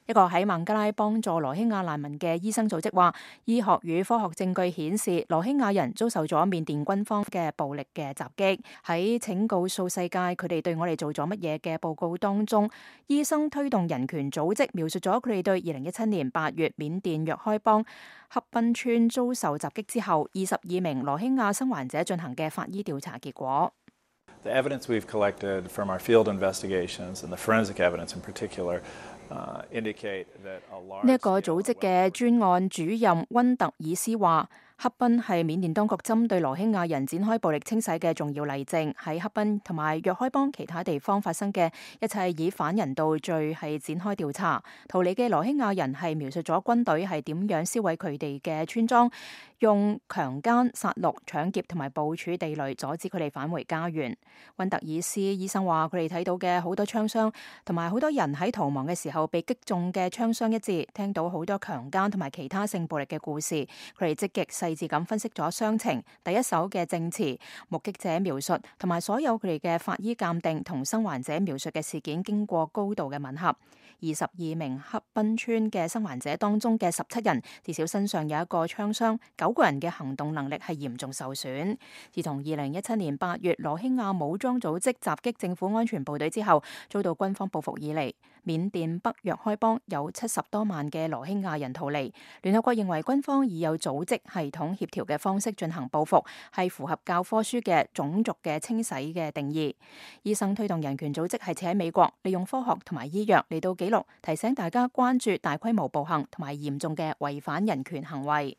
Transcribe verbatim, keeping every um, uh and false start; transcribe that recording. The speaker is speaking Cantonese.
一個喺孟加拉幫助羅興亞難民嘅醫生組織話，醫學與科學證據顯示，羅興亞人遭受咗緬甸軍方嘅暴力嘅襲擊。喺請告訴世界佢哋對我哋做咗乜嘢嘅報告當中，醫生推動人權組織描述咗佢哋對二零一七年八月緬甸若開邦恰賓村遭受襲擊之後，二十二名羅興亞生還者進行嘅法醫調查結果。The evidence we've collected from our field investigations and the forensic evidence in particular indicate that a large 呢一個組織嘅專案主任溫特爾斯話，恰賓係緬甸當局針對羅興亞人展開暴力清洗嘅重要例證。喺恰賓同埋若開邦其他地方發生嘅一切以反人道罪係展開調查。逃離嘅羅興亞人係描述咗軍隊係點樣燒毀佢哋嘅村莊，用強姦、殺戮、搶劫同埋部署地雷阻止佢哋返回家園。溫特爾斯醫生話，佢哋睇到嘅好多槍傷同埋好多人喺逃亡嘅時候被擊中嘅槍傷一致，聽到好多強姦同埋其他性暴力嘅故事。佢哋積極細緻咁分析咗傷情、第一手嘅證詞、目擊者描述同埋所有佢哋嘅法醫鑑定同生還者描述嘅事件經過高度嘅吻合。二十二名恰賓村嘅生還者當中嘅十七人至少身上有一個槍傷，九個人嘅行動能力係嚴重受損。自從二零一七年八月羅興亞武裝組織襲擊政府安全部隊之後，遭到軍方報復以嚟，緬甸北若開邦有七十多萬嘅羅興亞人逃離。聯合國認為軍方以有組織系統協調嘅方式進行報復，係符合教科書嘅種族嘅清洗嘅定義。醫生推動人權組織係設喺美國，利用科學同埋醫藥嚟到記錄，提醒大家關注大規模暴行同埋嚴重嘅違反人權行為。